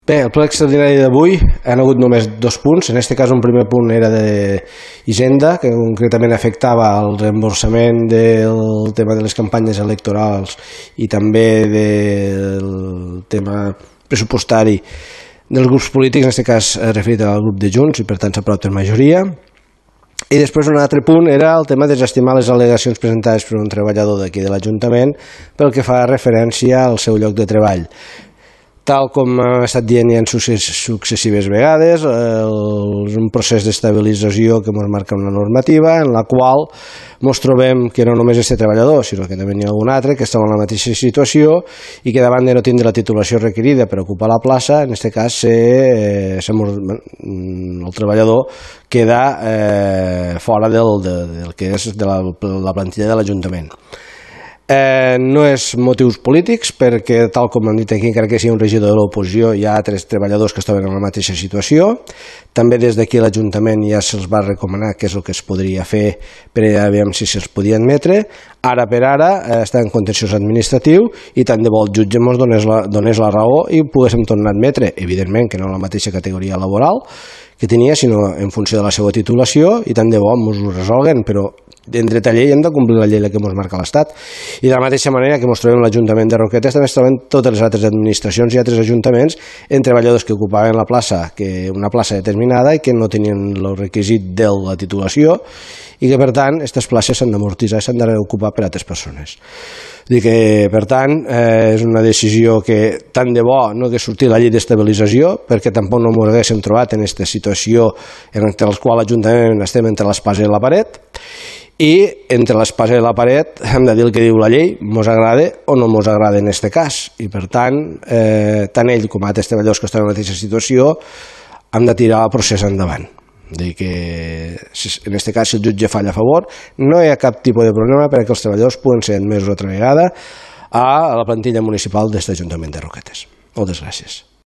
Bé, el ple extraordinari d'avui han hagut només 2 punts. En aquest cas un primer punt era d'Hisenda, que concretament afectava el reemborsament del tema de les campanyes electorals i també del tema pressupostari dels grups polítics, en aquest cas referit al grup de Junts, i per tant s'aprova per majoria. I després un altre punt era el tema de desestimar les al·legacions presentades per un treballador d'aquí de l'Ajuntament pel que fa referència al seu lloc de treball. Tal com hem estat dient ja en successives vegades, és un procés d'estabilització que ens marca una normativa en la qual ens trobem que no només aquest treballador, sinó que també n'hi ha algun altre que estava en la mateixa situació i que davant de no tindre la titulació requerida per ocupar la plaça, en aquest cas el treballador queda fora del que és de la plantilla de l'Ajuntament. No és motius polítics, perquè tal com hem dit aquí, encara que sigui un regidor de l'oposició, hi ha altres treballadors que estaven en la mateixa situació. També des d'aquí l'Ajuntament ja se'ls va recomanar què és el que es podria fer per a veure si se'ls podia admetre. Ara per ara està en contenciós administratiu i tant de bo el jutge ens donés la raó i poguéssim tornar a admetre, evidentment que no en la mateixa categoria laboral que tenia, sinó en funció de la seva titulació, i tant de bo ens ho resolguen, però en dret a llei hem de complir la llei que ens marca l'Estat. I de la mateixa manera que ens trobem l'Ajuntament de Roquetes, també es troben totes les altres administracions i altres ajuntaments en treballadors que ocupaven la plaça, una plaça determinada i que no tenien el requisit de la titulació i que per tant aquestes places s'han d'amortitzar i s'han de reocupar per altres persones. Per tant, és una decisió que tant de bo no hagués sortit la llei d'estabilització, perquè tampoc no ens haguéssim trobat en aquesta situació en la qual l'Ajuntament estem entre l'espasa i la paret, i entre l'espasa i la paret hem de dir el que diu la llei, ens agrada o no ens agrada en aquest cas, i per tant, tant ell com altres treballadors que estan en la mateixa situació han de tirar el procés endavant. Que en aquest cas, si el jutge falla a favor, no hi ha cap tipus de problema perquè els treballadors puguen ser admesos altra vegada a la plantilla municipal d'aquest Ajuntament de Roquetes. Moltes gràcies.